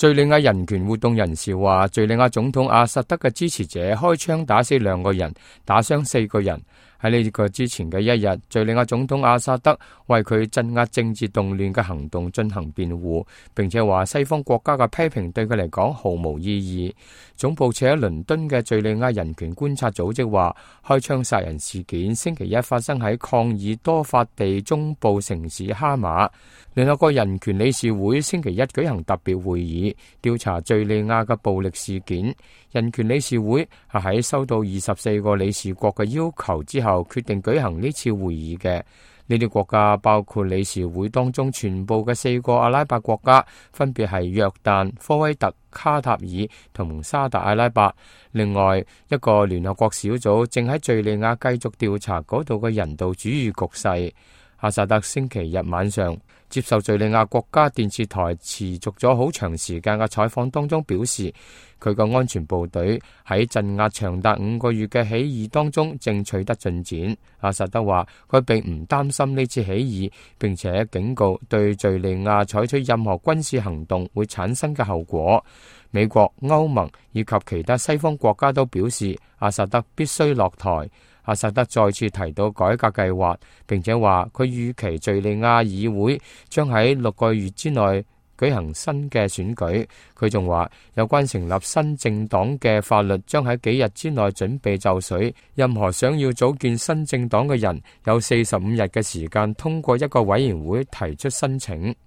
敘利亞人權活動人士話，敘利亞總統阿薩德嘅支持者開槍打死2個人，打傷4個人。喺呢個之前嘅一日，敘利亞總統阿薩德為佢鎮壓政治動亂嘅行動進行辯護，並且話西方國家嘅批評對佢嚟講毫無意義。總部設喺倫敦嘅敘利亞人權觀察組織話，開槍殺人事件星期一發生喺抗議多發地中部城市哈馬。聯合國人權理事會星期一舉行特別會議，調查敘利亞嘅暴力事件。人權理事會係喺收到24個理事國嘅要求之後，決定舉行呢次會議嘅。呢啲國家包括理事會當中全部嘅4個阿拉伯國家，分別係約旦、科威特、卡塔爾同沙特阿拉伯。另外一個聯合國小組正喺敘利亞繼續調查嗰度嘅人道主義局勢。阿薩德星期日晚上接受敘利亞國家電視台持續咗好長時間嘅採訪當中表示，佢個安全部隊喺鎮壓長達5個月嘅起義當中正取得進展。阿薩德話佢並唔擔心呢次起義，並且警告對敘利亞採取任何軍事行動會產生嘅後果。美國、歐盟以及其他西方國家都表示阿薩德必須落台。阿薩德再次提到改革計劃，並且話佢預期敘利亞議會將喺6個月之內舉行新嘅選舉。佢仲話有關成立新政黨嘅法律將喺幾日之內準備就緒，任何想要組建新政黨嘅人有45日嘅時間通過一個委員會提出申請。